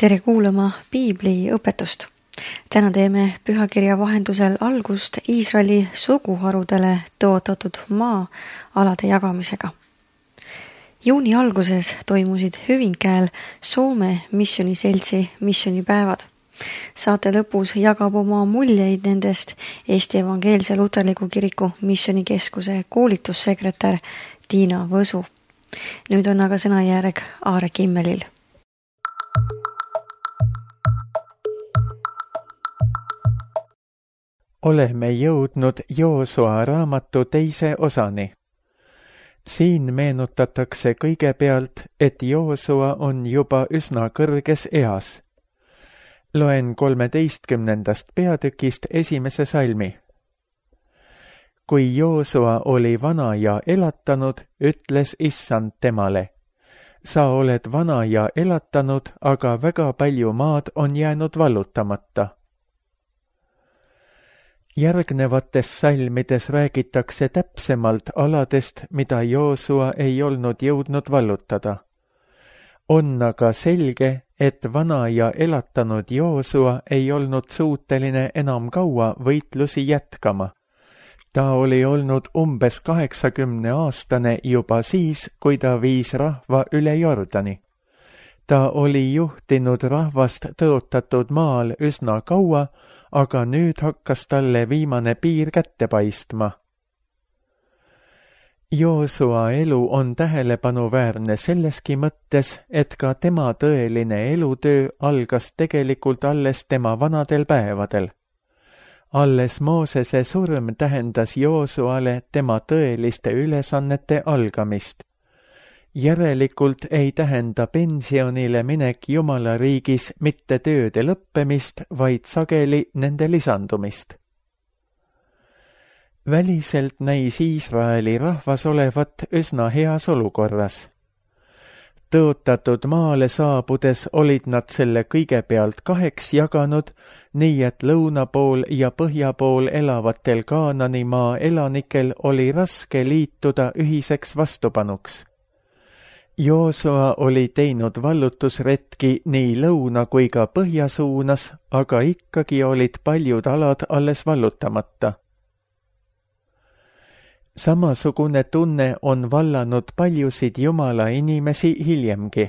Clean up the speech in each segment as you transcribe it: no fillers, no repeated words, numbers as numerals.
Tere kuulama Piibli õpetust. Täna teeme pühakirja vahendusel algust Iisraeli suguharudele tõotatud maa alade jagamisega. Juuni alguses toimusid Hyvinkääl Soome missioniseltsi missionipäevad. Saate lõpus jagab oma muljeid nendest Eesti Evangeelse Luterliku Kiriku missionikeskuse koolitussekretär Tiina Võsu. Nüüd on aga sõnajärg Aare Kimmelil. Oleme jõudnud Joosua raamatu teise osani. Siin meenutatakse kõigepealt, et Joosua on juba üsna kõrges eas. Loen 13. peatükist esimese salmi. Kui Joosua oli vana ja elatanud, ütles Issand temale: sa oled vana ja elatanud, aga väga palju maad on jäänud vallutamata. Järgnevates salmides räägitakse täpsemalt aladest, mida Joosua ei olnud jõudnud vallutada. On aga selge, et vana ja elatanud Joosua ei olnud suuteline enam kaua võitlusi jätkama. Ta oli olnud umbes 80-aastane juba siis, kui ta viis rahva üle Jordani. Ta oli juhtinud rahvast tõotatud maal üsna kaua, aga nüüd hakkas talle viimane piir kätte paistma. Joosua elu on tähelepanuväärne selleski mõttes, et ka tema tõeline elutöö algas tegelikult alles tema vanadel päevadel. Alles Moosese surm tähendas Joosuale tema tõeliste ülesannete algamist. Järelikult ei tähenda pensionile minek Jumala riigis mitte tööde lõppemist, vaid sageli nende lisandumist. Väliselt näis Iisraeli rahvas olevat üsna heas olukorras. Tõotatud maale saabudes olid nad selle kõigepealt 2 jaganud, nii et lõuna pool ja põhja pool elavatel Kaananimaa elanikel oli raske liituda ühiseks vastupanuks. Joosua oli teinud vallutusretki nii lõuna kui ka põhja suunas, aga ikkagi olid paljud alad alles vallutamata. Samasugune tunne on vallanud paljusid Jumala inimesi hiljemgi.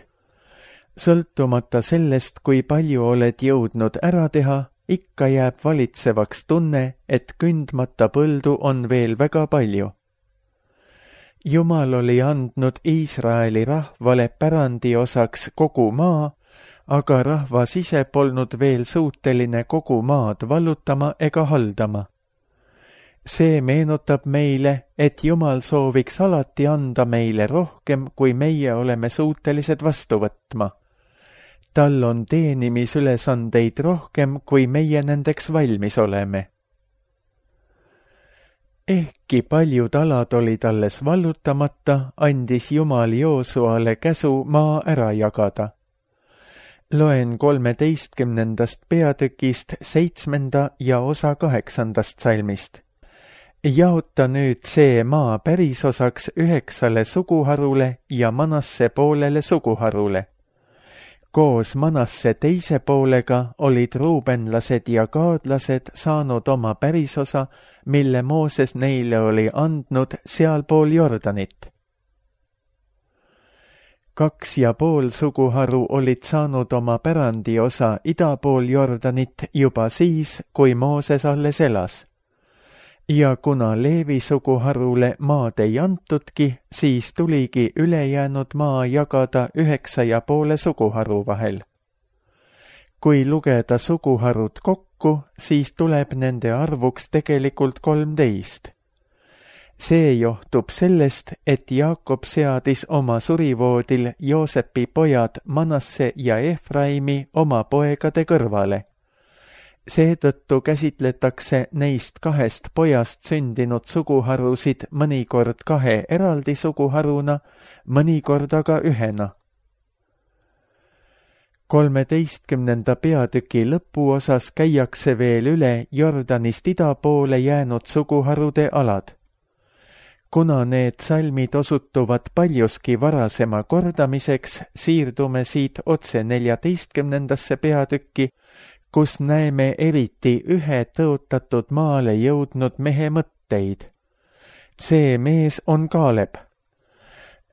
Sõltumata sellest, kui palju oled jõudnud ära teha, ikka jääb valitsevaks tunne, et kündmata põldu on veel väga palju. Jumal oli andnud Iisraeli rahvale pärandi osaks kogu maa, aga rahvas ise polnud veel suuteline kogu maad vallutama ega haldama. See meenutab meile, et Jumal sooviks alati anda meile rohkem, kui meie oleme suutelised vastu võtma. Tal on teenimisülesandeid rohkem, kui meie nendeks valmis oleme. Ehkki paljud alad olid alles vallutamata, andis Jumal Joosuale käsu maa ära jagada. Loen 13. peatükist 7. ja osa 8. salmist. Jaota nüüd see maa pärisosaks 9 suguharule ja Manasse poolele suguharule. Koos Manasse teise poolega olid ruubenlased ja gaadlased saanud oma pärisosa, mille Mooses neile oli andnud sealpool Jordanit. 2,5 suguharu olid saanud oma pärandiosa idapool Jordanit juba siis, kui Mooses alles elas. Ja kuna Leevi suguharule maad ei antudki, siis tuligi ülejäänud maa jagada 9,5 suguharu vahel. Kui lugeda suguharud kokku, siis tuleb nende arvuks tegelikult 13. See johtub sellest, et Jaakob seadis oma surivoodil Joosepi pojad Manasse ja Efraimi oma poegade kõrvale. Seetõttu käsitletakse neist 2 pojast sündinud suguharusid mõnikord 2 eraldi suguharuna, mõnikord aga ühena. 13. peatüki lõpuosas käiakse veel üle Jordanist ida poole jäänud suguharude alad. Kuna need salmid osutuvad paljuski varasema kordamiseks, siirdume siit otse 14. peatükki, kus näeme eriti ühe tõotatud maale jõudnud mehe mõtteid. See mees on Kaaleb.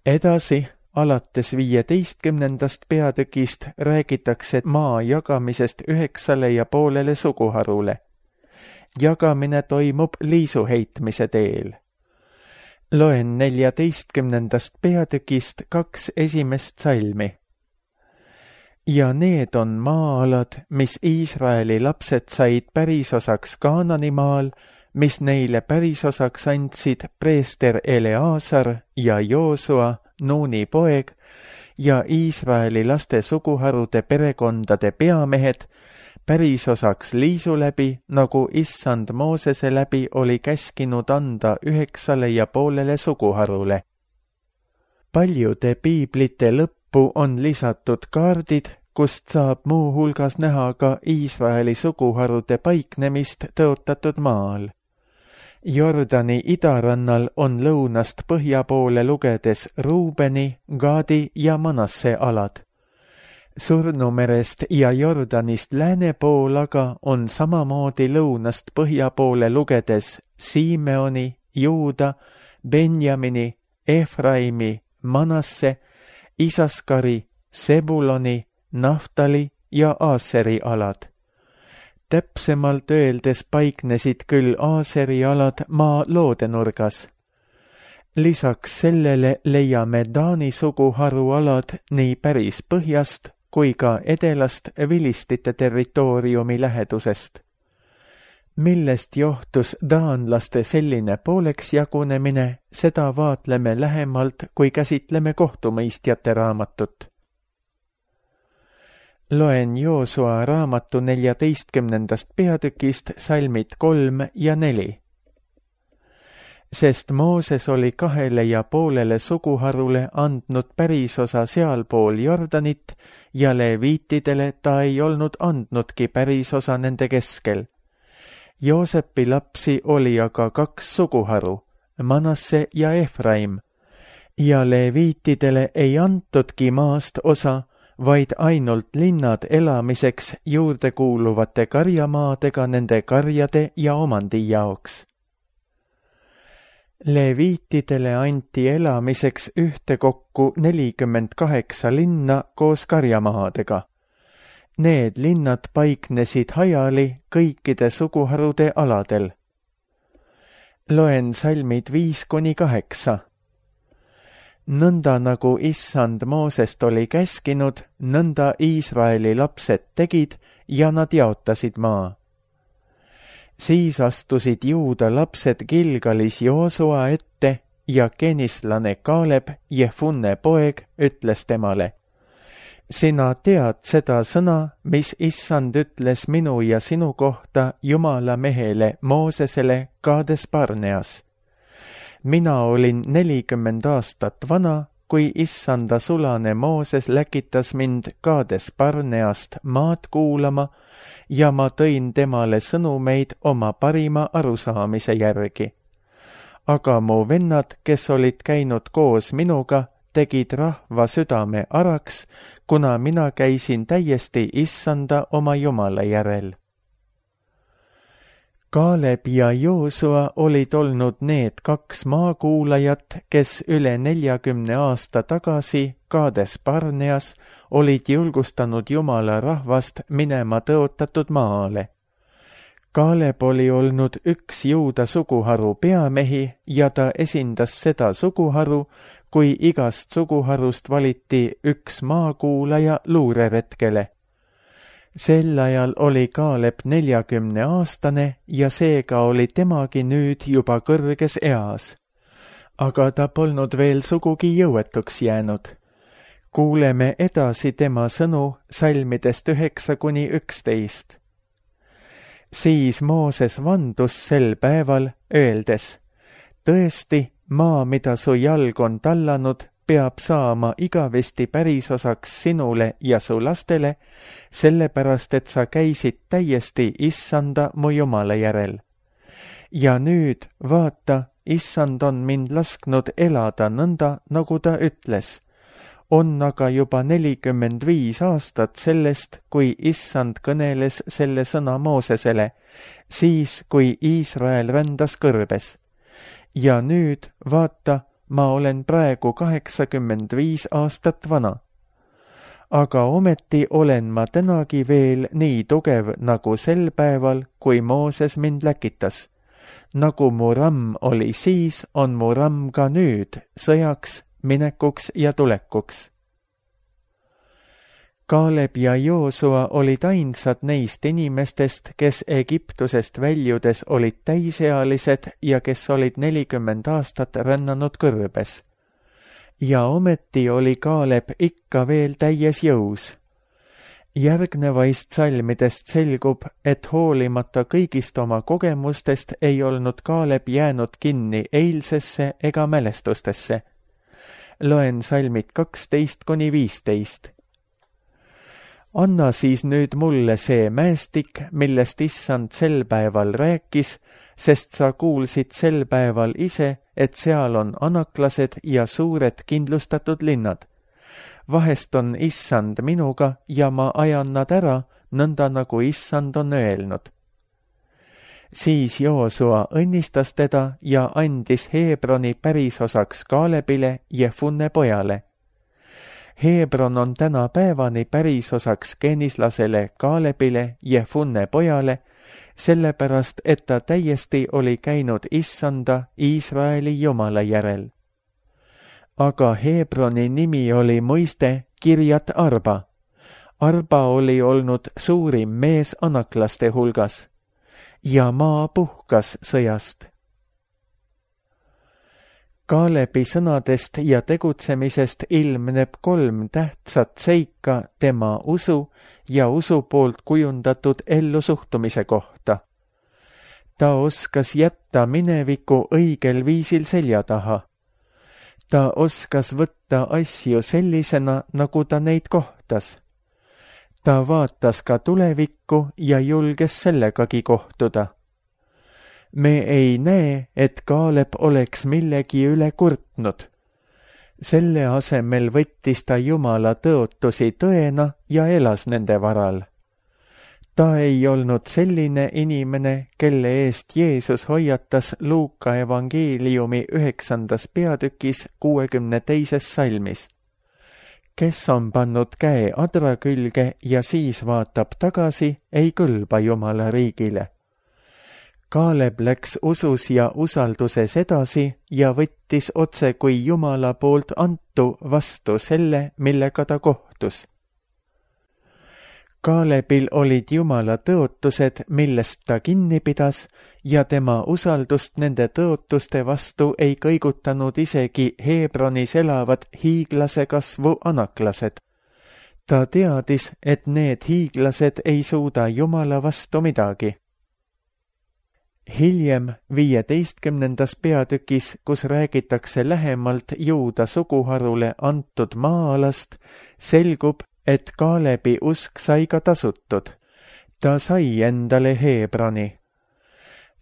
Edasi, alates 15. peatükist räägitakse maa jagamisest 9,5 suguharule. Jagamine toimub liisuheitmise teel. Loen 14. peatükist 2 esimest salmi. Ja need on maa-alad, mis Iisraeli lapsed said pärisosaks Kaananimaal, mis neile pärisosaks andsid preester Eleazar ja Joosua, Nuuni poeg, ja Iisraeli laste suguharude perekondade peamehed, pärisosaks liisu läbi, nagu issand Moosese läbi oli käskinud anda 9,5 suguharule. Paljude piiblite lõppu on lisatud kaardid, kust saab muu hulgas näha ka Iisraeli suguharude paiknemist tõotatud maal. Jordani idarannal on lõunast põhja poole lugedes Ruubeni, Gaadi ja Manasse alad. Surnumerest ja Jordanist lääne pool aga on samamoodi lõunast põhja poole lugedes Siimeoni, Juuda, Benjamini, Efraimi, Manasse, Isaskari, Sebuloni, Naftali ja Aaseri alad. Täpsemalt öeldes paiknesid küll Aaseri alad maa loodenurgas. Lisaks sellele leiame Taani suguharu alad nii päris põhjast kui ka edelast vilistite territooriumi lähedusest. Millest johtus taanlaste selline pooleks jagunemine, seda vaatleme lähemalt, kui käsitleme kohtumõistjate raamatut. Loen Joosua raamatu 14. peatükist salmid 3 ja 4. Sest Mooses oli 2,5 suguharule andnud pärisosa sealpool Jordanit ja leviitidele ta ei olnud andnudki pärisosa nende keskel. Joosepi lapsi oli aga 2 suguharu, Manasse ja Efraim, ja leviitidele ei antudki maast osa, vaid ainult linnad elamiseks juurde kuuluvate karjamaadega nende karjade ja omandi jaoks. Leviitidele anti elamiseks ühtekokku 48 linna koos karjamaadega. Need linnad paiknesid hajali kõikide suguharude aladel. Loen salmid 5-8. Nõnda nagu issand Moosest oli käskinud, nõnda Iisraeli lapsed tegid ja nad jaotasid maa. Siis astusid Juuda lapsed Gilgalis Joosua ette ja kenislane Kaaleb, Jefunne poeg, ütles temale: Sina tead seda sõna, mis issand ütles minu ja sinu kohta Jumala mehele Moosesele Kaades Barneas. Mina olin 40 aastat vana, kui issanda sulane Mooses läkitas mind Kaades Barneast maad kuulama ja ma tõin temale sõnumeid oma parima arusaamise järgi. Aga mu vennad, kes olid käinud koos minuga, tegid rahva südame araks, kuna mina käisin täiesti issanda oma Jumala järel. Kaaleb ja Joosua olid olnud need 2 maakuulajat, kes üle 40 aasta tagasi Kaades Barneas olid julgustanud Jumala rahvast minema tõotatud maale. Kaaleb oli olnud üks Juuda suguharu peamehi ja ta esindas seda suguharu, kui igast suguharust valiti üks maakuulaja luureretkele. Sel ajal oli Kaaleb 40-aastane ja seega oli temagi nüüd juba kõrges eas. Aga ta polnud veel sugugi jõuetuks jäänud. Kuuleme edasi tema sõnu salmidest 9-11. Siis Mooses vandus sel päeval, öeldes: Tõesti, maa, mida su jalg on tallanud, peab saama igavesti pärisosaks sinule ja su lastele, sellepärast et sa käisid täiesti issanda mu Jumala järel. Ja nüüd, vaata, issand on mind lasknud elada nõnda, nagu ta ütles. On aga juba 45 aastat sellest, kui issand kõneles selle sõna Moosesele, siis kui Iisrael rändas kõrbes. Ja nüüd, vaata, ma olen praegu 85 aastat vana. Aga ometi olen ma tänagi veel nii tugev nagu sel päeval, kui Mooses mind läkitas. Nagu mu ramm oli siis, on mu ramm ka nüüd, sõjaks, minekuks ja tulekuks. Kaaleb ja Joosua olid ainsad neist inimestest, kes Egiptusest väljudes olid täisealised ja kes olid 40 aastat rännanud kõrbes. Ja ometi oli Kaaleb ikka veel täies jõus. Järgnevaist salmidest selgub, et hoolimata kõigist oma kogemustest ei olnud Kaaleb jäänud kinni eilsesse ega mälestustesse. Loen salmid 12-15. Anna siis nüüd mulle see mäestik, millest issand sel päeval rääkis, sest sa kuulsid sel päeval ise, et seal on anaklased ja suured kindlustatud linnad. Vahest on issand minuga ja ma ajan nad ära, nõnda nagu issand on öelnud. Siis Joosua õnnistas teda ja andis Hebroni pärisosaks Kaalebile, Jefunne pojale. Hebron on tänapäevani pärisosaks genislasele Kaalebile, Jefunne pojale, sellepärast, et ta täiesti oli käinud issanda Iisraeli Jumala järel. Aga Hebroni nimi oli muiste Kirjat Arba. Arba oli olnud suurim mees anaklaste hulgas ja maa puhkas sõjast. Kaalebi sõnadest ja tegutsemisest ilmneb 3 tähtsat seika tema usu ja usu poolt kujundatud ellusuhtumise kohta. Ta oskas jätta mineviku õigel viisil selja taha. Ta oskas võtta asju sellisena, nagu ta neid kohtas. Ta vaatas ka tulevikku ja julges sellegagi kohtuda. Me ei näe, et Kaaleb oleks millegi üle kurtnud. Selle asemel võttis ta Jumala tõotusi tõena ja elas nende varal. Ta ei olnud selline inimene, kelle eest Jeesus hoiatas Luuka evangeeliumi 9. peatükis 62. salmis. Kes on pannud käe adra külge ja siis vaatab tagasi, ei kõlba Jumala riigile. Kaaleb läks usus ja usalduses edasi ja võttis otse kui Jumala poolt antu vastu selle, millega ta kohtus. Kaalebil olid Jumala tõotused, millest ta kinni pidas ja tema usaldust nende tõotuste vastu ei kõigutanud isegi Hebronis elavad hiiglase kasvu anaklased. Ta teadis, et need hiiglased ei suuda Jumala vastu midagi. Hiljem 15. peatükis, kus räägitakse lähemalt Juuda suguharule antud maa-alast, selgub, et Kaalebi usk sai ka tasutud. Ta sai endale Hebroni.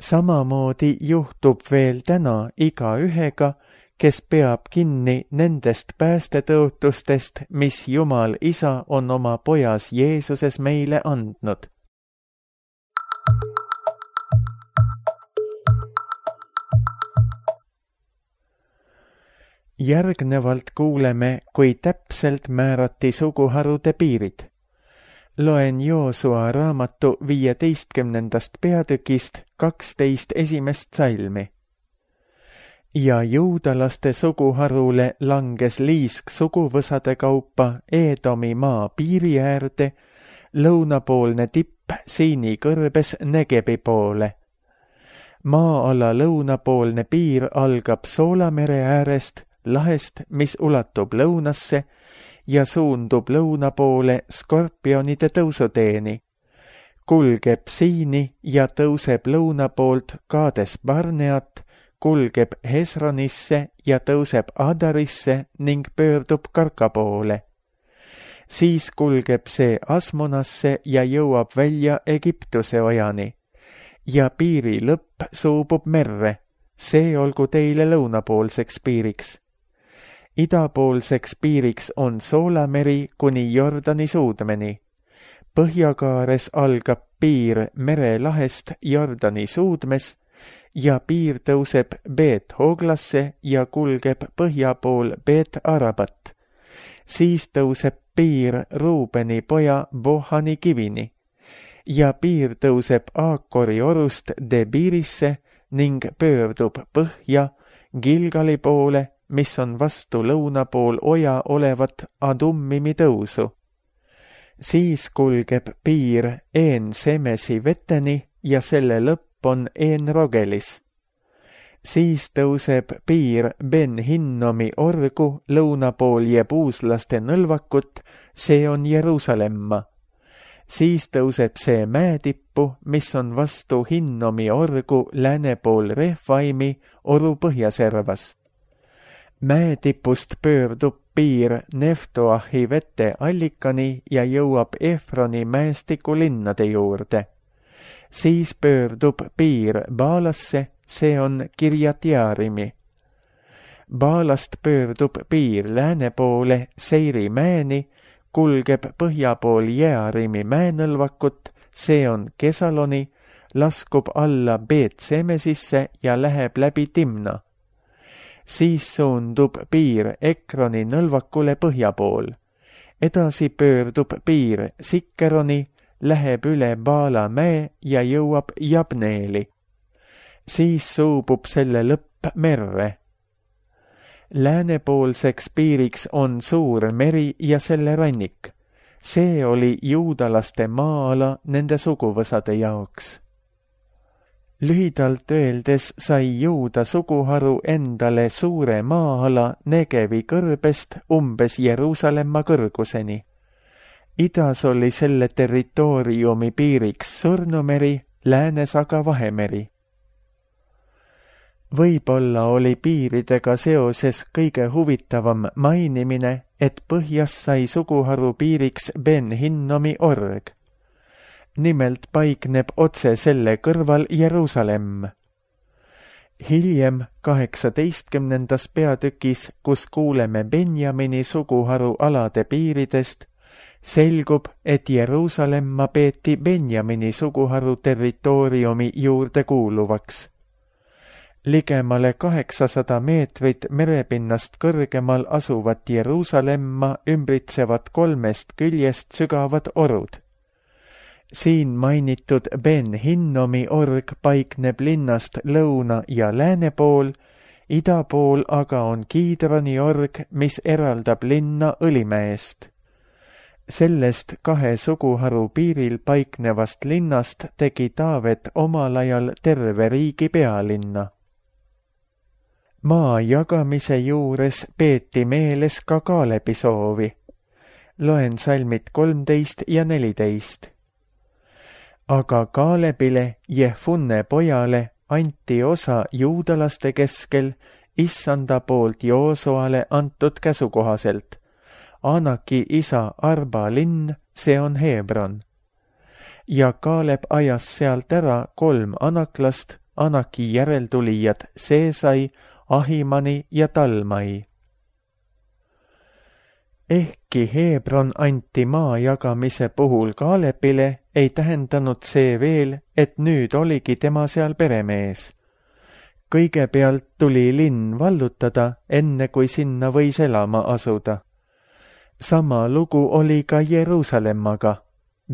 Samamoodi juhtub veel täna igaühega, kes peab kinni nendest päästetõotustest, mis Jumal Isa on oma pojas Jeesuses meile andnud. Järgnevalt kuuleme, kui täpselt määrati suguharude piirid. Loen Joosua raamatu 15. peatükist 12 esimest salmi. Ja juudalaste suguharule langes liisk suguvõsade kaupa Eedomi maa piiri äärde, lõunapoolne tipp Siini kõrbes Negebi poole. Maa-ala lõunapoolne piir algab Soolamere äärest, lahest, mis ulatub lõunasse ja suundub lõuna poole Skorpionide tõusuteeni, kulgeb Siini ja tõuseb lõuna poolt Kaades Barneat, kulgeb Hesronisse ja tõuseb Adarisse ning pöördub Karka poole. Siis kulgeb see Asmonasse ja jõuab välja Egiptuse ojani ja piiri lõpp suubub merre, see olgu teile lõunapoolseks piiriks. Idapoolseks piiriks on Soolameri kuni Jordani suudmeni. Põhjakaares algab piir merelahest Jordani suudmes ja piir tõuseb Beet-Hoglasse ja kulgeb põhja pool Beet-Arabat. Siis tõuseb piir Ruubeni poja Bohani kivini ja piir tõuseb Aakori orust Debirisse ning pöördub põhja Gilgali poole, mis on vastu lõuna pool oja olevat Adummimi tõusu. Siis kulgeb piir En-Semesi veteni ja selle lõpp on En-Rogelis. Siis tõuseb piir Ben-Hinnomi orgu lõuna pool jebuuslaste nõlvakut, see on Jeruusalemma. Siis tõuseb see mäetippu, mis on vastu Hinnomi orgu lääne pool Refaimi oru põhjaservas. Mäetipust pöördub piir Neftoahi vete allikani ja jõuab Efroni mäestiku linnade juurde. Siis pöördub piir Baalasse, see on Kirjat-Jaarimi. Baalast pöördub piir lääne poole Seiri mäeni, kulgeb põhja pool Jearimi mäenõlvakut, see on Kesaloni, laskub alla Beet-Semesisse ja läheb läbi Timna. Siis suundub piir Ekroni nõlvakule põhja pool. Edasi pöördub piir Sikkeroni, läheb üle Baala mäe ja jõuab Jabneeli. Siis suubub selle lõpp merre. Läänepoolseks piiriks on suur meri ja selle rannik. See oli juudalaste maa-ala nende suguvõsade jaoks. Lühidalt öeldes sai Juuda suguharu endale suure maa-ala Negevi kõrbest umbes Jeruusalemma kõrguseni. Idas oli selle territooriumi piiriks Surnumeri, läänes aga Vahemeri. Võib-olla oli piiridega seoses kõige huvitavam mainimine, et põhjas sai suguharu piiriks Ben-Hinnomi org. Nimelt paikneb otse selle kõrval Jeruusalemm. Hiljem 18. peatükis, kus kuuleme Benjamini suguharu alade piiridest, selgub, et Jeruusalemma peeti Benjamini suguharu territooriumi juurde kuuluvaks. Ligemale 800 meetrit merepinnast kõrgemal asuvat Jeruusalemma ümbritsevad 3 küljest sügavad orud. Siin mainitud Ben-Hinnomi org paikneb linnast lõuna ja lääne pool, ida pool aga on Kiidroni org, mis eraldab linna Õlimäest. Sellest 2 suguharu piiril paiknevast linnast tegi Taavet omal ajal terve riigi pealinna. Maa jagamise juures peeti meeles ka Kaalebi soovi. Loen salmid 13 ja 14. Aga Kaalebile, Jefunne pojale, anti osa juudalaste keskel Issanda poolt Joosoale antud käsu kohaselt. Anaki isa Arba linn, see on Hebron. Ja Kaaleb ajas sealt ära 3 anaklast, Anaki järeltulijad Seesai, Ahimani ja Talmai. Ehkki Hebron anti maa jagamise puhul Kaalebile, ei tähendanud see veel, et nüüd oligi tema seal peremees. Kõigepealt tuli linn vallutada, enne kui sinna võis elama asuda. Sama lugu oli ka Jeruusalemmaga.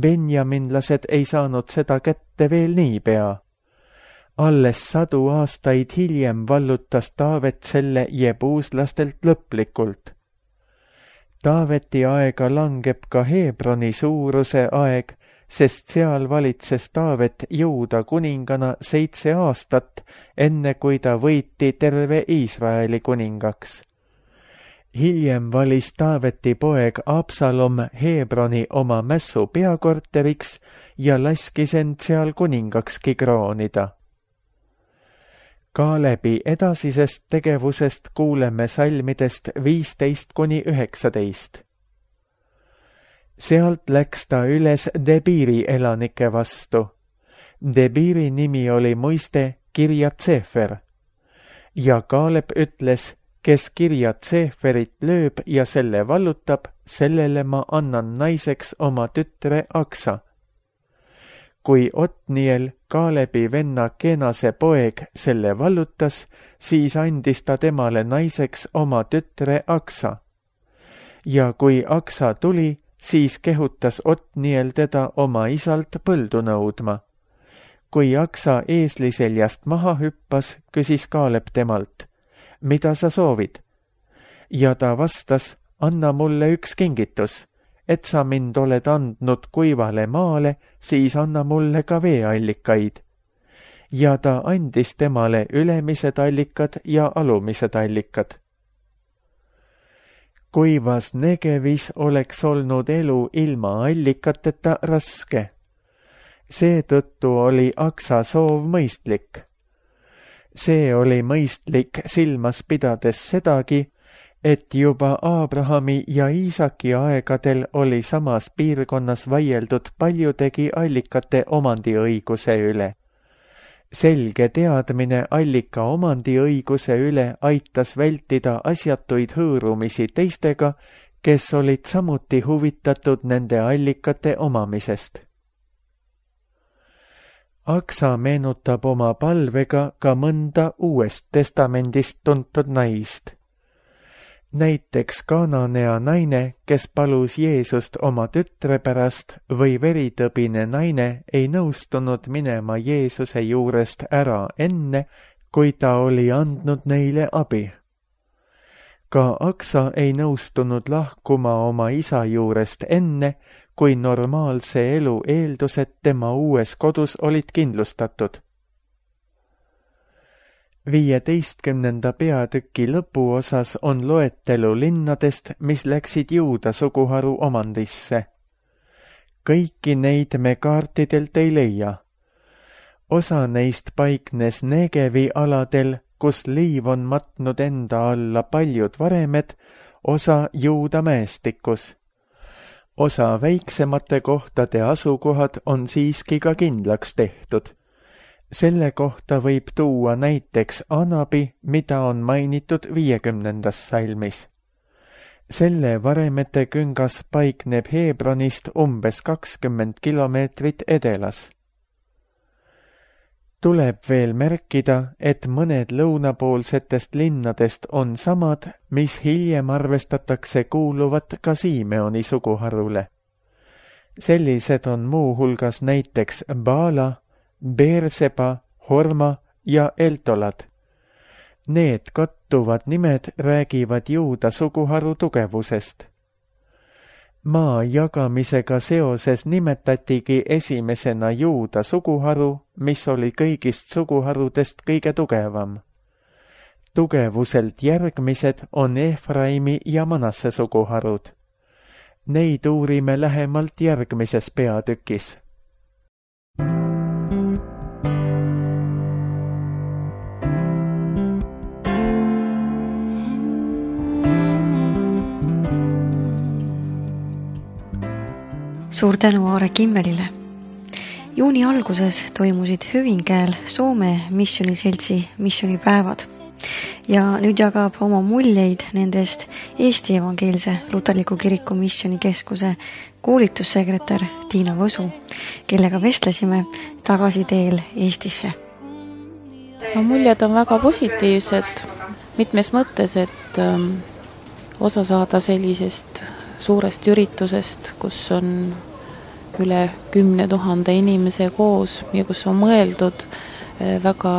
Benjaminlased ei saanud seda kätte veel niipea. Alles 100 aastaid hiljem vallutas Taavet selle jebuuslastelt lõplikult. Taaveti aega langeb ka Hebroni suuruse aeg, sest seal valitses Taavet Juuda kuningana 7 aastat, enne kui ta võiti terve Iisraeli kuningaks. Hiljem valis Taaveti poeg Absalom Hebroni oma mässu peakorteriks ja laskis end seal kuningakski kroonida. Kaalebi edasisest tegevusest kuuleme salmidest 15–19. Sealt läks ta üles Debiri elanike vastu. Debiri nimi oli muiste Kirjat-Sefer. Ja Kaalep ütles, kes Kirjat Seeferit lööb ja selle vallutab, sellele ma annan naiseks oma tütre Aksa. Kui Otniel, Kaalebi venna Kenase poeg, selle vallutas, siis andis ta temale naiseks oma tütre Aksa. Ja kui Aksa tuli, siis kehutas Otniel teda oma isalt põldu nõudma. Kui Aksa eesliseljast maha hüppas, küsis Kaalep temalt, mida sa soovid? Ja ta vastas, anna mulle üks kingitus, et sa mind oled andnud kuivale maale, siis anna mulle ka veeallikaid. Ja ta andis temale ülemised allikad ja alumised allikad. Kuivas Negevis oleks olnud elu ilma allikateta raske. Seetõttu oli Aksa soov mõistlik. See oli mõistlik silmas pidades sedagi, et juba Aabrahami ja Iisaki aegadel oli samas piirkonnas vaieldud paljudegi allikate omandiõiguse üle. Selge teadmine allika omandiõiguse üle aitas vältida asjatuid hõõrumisi teistega, kes olid samuti huvitatud nende allikate omamisest. Aksa meenutab oma palvega ka mõnda Uuest Testamendist tuntud naist. Näiteks Kananea naine, kes palus Jeesust oma tütre pärast, või veritõbine naine ei nõustunud minema Jeesuse juurest ära enne, kui ta oli andnud neile abi. Ka Aksa ei nõustunud lahkuma oma isa juurest enne, kui normaalse elu eeldused tema uues kodus olid kindlustatud. 15. peatüki lõpuosas on loetelu linnadest, mis läksid Juuda suguharu omandisse. Kõiki neid me kaartidelt ei leia. Osa neist paiknes Negevi aladel, kus liiv on matnud enda alla paljud varemed, osa Juuda mäestikus. Osa väiksemate kohtade asukohad on siiski ka kindlaks tehtud. Selle kohta võib tuua näiteks Anabi, mida on mainitud 50. salmis. Selle varemete küngas paikneb Hebronist umbes 20 kilomeetrit edelas. Tuleb veel märkida, et mõned lõunapoolsetest linnadest on samad, mis hiljem arvestatakse kuuluvat ka Simeoni suguharule. Sellised on muuhulgas näiteks Baala, Beerseba, Horma ja Eltolad. Need kattuvad nimed räägivad Juuda suguharu tugevusest. Maa jagamisega seoses nimetatigi esimesena Juuda suguharu, mis oli kõigist suguharudest kõige tugevam. Tugevuselt järgmised on Efraimi ja Manasse suguharud. Neid uurime lähemalt järgmises peatükis. Suur tänu Aare Kimmelile. Juuni alguses toimusid Hyvinkääl Soome missiooniseltsi missioonipäevad ja nüüd jagab oma muljeid nendest Eesti Evangeelse Luterliku Kiriku missioonikeskuse koolitussekretär Tiina Võsu, kellega vestlesime tagasiteel Eestisse. Muljed on väga positiivsed mitmes mõttes, et osa saada sellisest suurest üritusest, kus on üle 10 000 inimese koos ja kus on mõeldud väga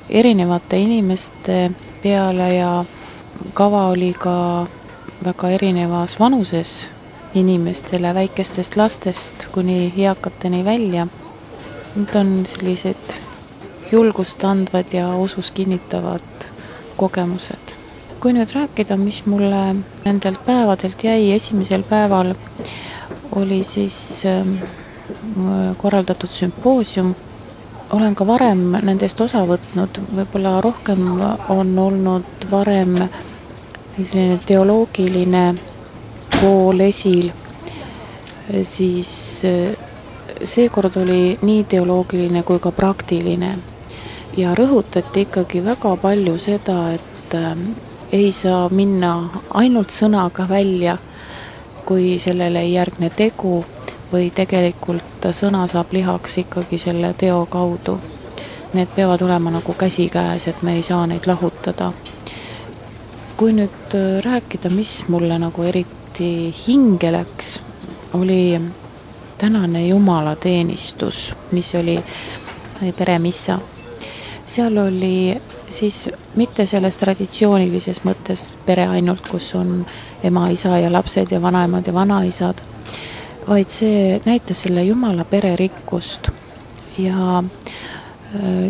erinevate inimeste peale ja kava oli ka väga erinevas vanuses inimestele, väikestest lastest kuni eakateni välja. Need on sellised julgust andvad ja usus kinnitavad kogemused. Kui nüüd rääkida, mis mulle nendelt päevadelt jäi, esimesel päeval oli siis korraldatud sümpoosium. Olen ka varem nendest osa võtnud, võib-olla rohkem on olnud varem selline teoloogiline pool esil, siis seekord oli nii teoloogiline kui ka praktiline. ja rõhutati ikkagi väga palju seda, et ei saa minna ainult sõnaga välja, kui sellele ei järgne tegu või tegelikult sõna saab lihaks ikkagi selle teo kaudu. Need peavad olema nagu käsikäes, et me ei saa neid lahutada. Kui nüüd rääkida, mis mulle nagu eriti hinge läks, oli tänane jumalateenistus, mis oli peremissa. Seal oli siis mitte selles traditsioonilises mõttes pere ainult, kus on ema, isa ja lapsed ja vanaemad ja vanaisad, vaid see näitas selle Jumala pere rikkust ja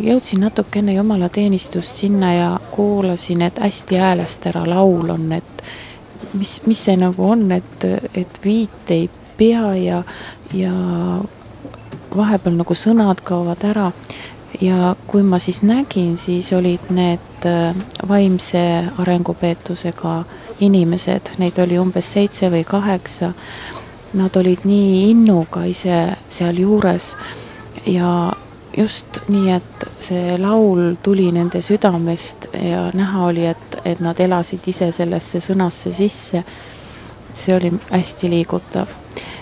jõudsin natuke enne jumalateenistust sinna ja kuulasin, et hästi häälest ära laul on, et mis see nagu on, et viit ei pea ja vahepeal nagu sõnad kaovad ära. Ja kui ma siis nägin, siis olid need vaimse arengupeetusega inimesed, neid oli umbes 7 või 8. Nad olid nii innuga ise seal juures ja just nii, et see laul tuli nende südamest ja näha oli, et nad elasid ise sellesse sõnasse sisse. See oli hästi liigutav.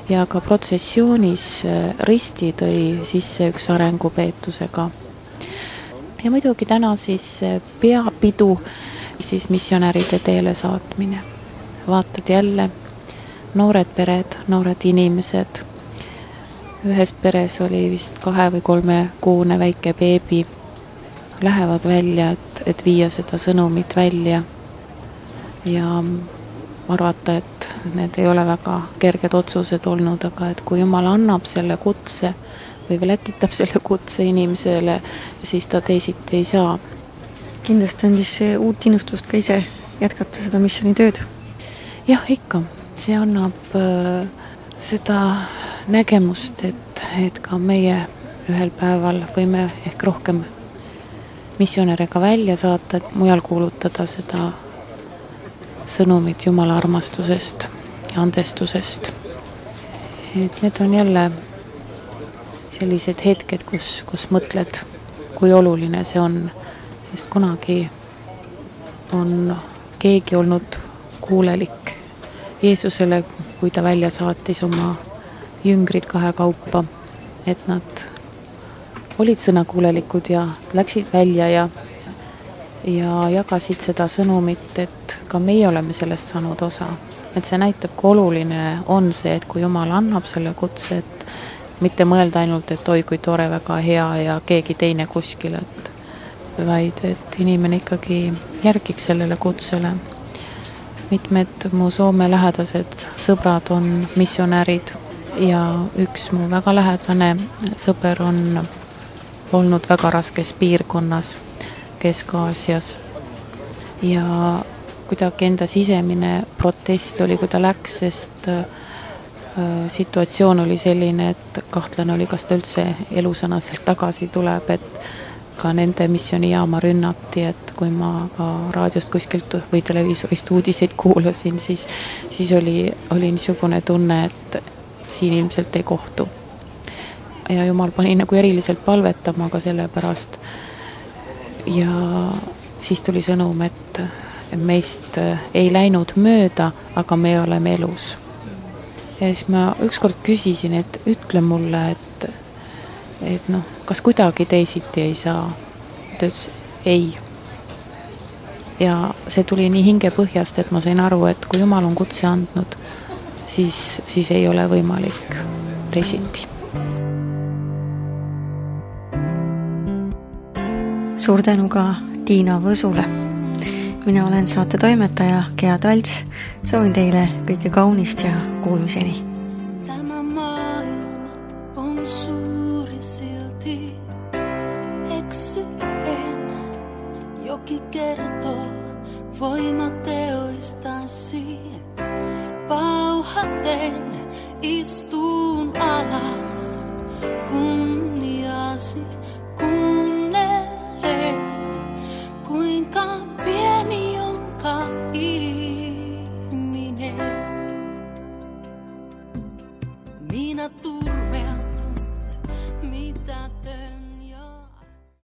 Ja ka protsessioonis risti tõi sisse üks arengupeetusega. Ja muidugi täna siis peapidu, siis missionäride teele saatmine. Vaatad jälle noored pered, noored inimesed. Ühes peres oli vist 2 või 3 kuune väike beebi. Lähevad välja, et viia seda sõnumit välja. Ja arvata, et need ei ole väga kerged otsused olnud, aga et kui Jumal annab selle kutse või läkitab selle kutse inimesele, siis ta teisiti ei saa. Kindlasti andis see uut innustust ka ise jätkata seda missioonitööd. Jah, ikka. See annab seda nägemust, et ka meie ühel päeval võime ehk rohkem missionärega välja saata, et mujal kuulutada seda sõnumit Jumala armastusest ja andestusest. Et need on jälle sellised hetked, kus mõtled, kui oluline see on, sest kunagi on keegi olnud kuulelik Jeesusele, kui ta välja saatis oma jüngrid 2 kaupa, et nad olid sõnakuulelikud ja läksid välja ja jagasid seda sõnumit, et ka meie oleme sellest saanud osa. Et see näitab, kui oluline on see, et kui Jumal annab selle kutse, et mitte mõelda ainult, et oi, kui tore, väga hea ja keegi teine kuskil, vaid et inimene ikkagi järgiks sellele kutsele. Mitmed mu Soome lähedased sõbrad on missionärid ja üks mu väga lähedane sõber on olnud väga raskes piirkonnas Kesk-Aasias ja kuidagi enda sisemine protest oli, kui ta läks, sest situatsioon oli selline, et kahtlane oli, kas ta üldse elusõnaselt tagasi tuleb, et ka nende missioonijaama rünnati, et kui ma ka raadiost kuskilt või televiisorist uudiseid kuulasin, siis oli niisugune tunne, et siin ilmselt ei kohtu. Ja Jumal pani nagu eriliselt palvetama ka selle pärast. Ja siis tuli sõnum, et meist ei läinud mööda, aga me oleme elus. Ja siis ma ükskord küsisin, et ütle mulle, et noh, kas kuidagi teisiti ei saa. Ta ütles, ei. Ja see tuli nii hingepõhjast, et ma sain aru, et kui Jumal on kutse andnud, siis ei ole võimalik teisiti. Suur tänu ka Tiina Võsule. Mina olen saate toimetaja Gea Talts. Soovin teile kõike kaunist ja kuulmiseni. Tämä maailma on suuri silti. Eksy en, joki kertoo voimateoistasi. Pauhaten istuun alas kunniasi.